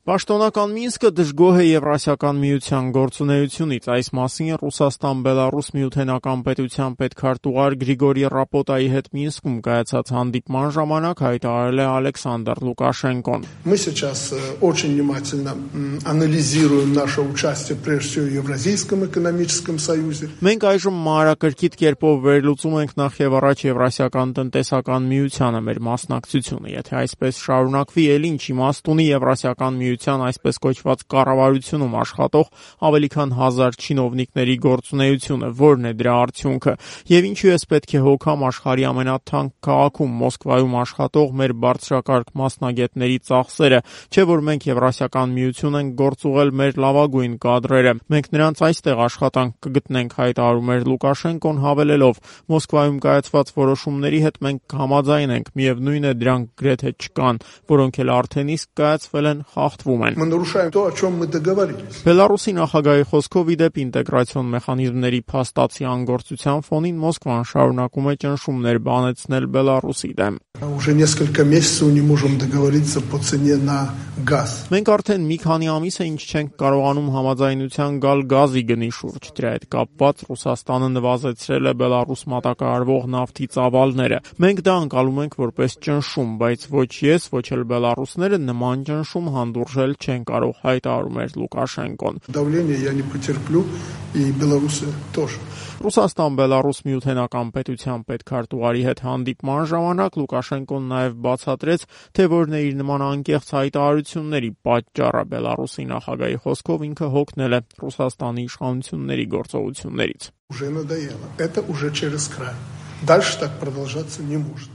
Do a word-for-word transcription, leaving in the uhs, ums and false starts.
Պաշտոնական Մինսկը դժգոհ է Եվրասիական միության գործունեությունից։ Այս մասին Ռուսաստան-Բելառուս միութենական պետության պետքարտուղար Գրիգորի Ռապոտայի հետ Մինսկում կայացած հանդիպման ժամանակ հայտարարել է Ալեքսանդր Լուկաշենկոն։ Мы сейчас очень внимательно анализируем наше участие прежде всего в Евразийском экономическом союзе. Մենք այժմ մանրակրկիտ կերպով վերլուծում ենք նախ եւ առաջ Եվրասիական տնտեսական միությանը մեր մասնակցությունը։ Եթե այսպես շարունակվի, ել ինչ իմաստ ունի Եվրասիական միության այսպես կոչված կառավարությունում աշխատող ավելի քան հազար չինովնիկների գործունեությունը, որն է դրա արդյունքը, եւ ինչու էս պետք է հոգամ աշխարհի ամենաթանկ քաղաքում Մոսկվայում աշխատող մեր բարձրակարգ մասնագետների ծախսերը, չէ՞ որ մենք Եվրասիական միություն ենք գործուղել մեր լավագույն կադրերը։ Մենք նրանց այստեղ աշխատանք կգտնենք, հայտարարում էր Լուկաշենկոն, հավելելով. Մոսկվայում կայացված որոշումների հետ մենք համաձայն ենք, միևնույն է դրանք գրեթե չկան, որոնք էլ արդեն իսկ կայացվել են, խախտվում են։ Мы нарушаем то, о чем мы договорились. Բելառուսի նախագահի խոսքով ի դեպ ինտեգրացիոն մեխանիզմների փաստացի անգործության ֆոնին Մոսկվան շարունակում է ճնշումներ բանեցնել Բելառուսի դեմ։ Уже несколько месяцев не можем договориться по цене на газ. Մենք արդեն մի քանի ամիս է ինչ չենք կարողանում համաձայնության գալ գազի գնի շուրջ։ Դրա հետ կապված Ռուսաստանը նվազեցրել է Բելառուս մատակարարվող նավթի ծավալները։ Մենք դա անցալում ենք որպես ճնշում, բայց ոչ ես, ոչ էլ բելառուսները նման ճնշում հանդուրժել չեն կարող, հայտարարում էր Լուկաշենկոն։ Давление я не потерплю, и белорусы тоже. Ռուսաստան-Բելառուս միութենական պետության պետքարտուղարի հետ հանդիպման ժամանակ Լուկաշենկոն նաև բացատրեց, թե որն է իր նման անկեղծ հայտարարությունների պատճառը։ Բելառուսի նախագահի խոսքով ինքը հոգնել է Ռուսաստանի իշխանությունների գործողություններից։ Уже надоело. Это уже через край. Дальше так продолжаться не может.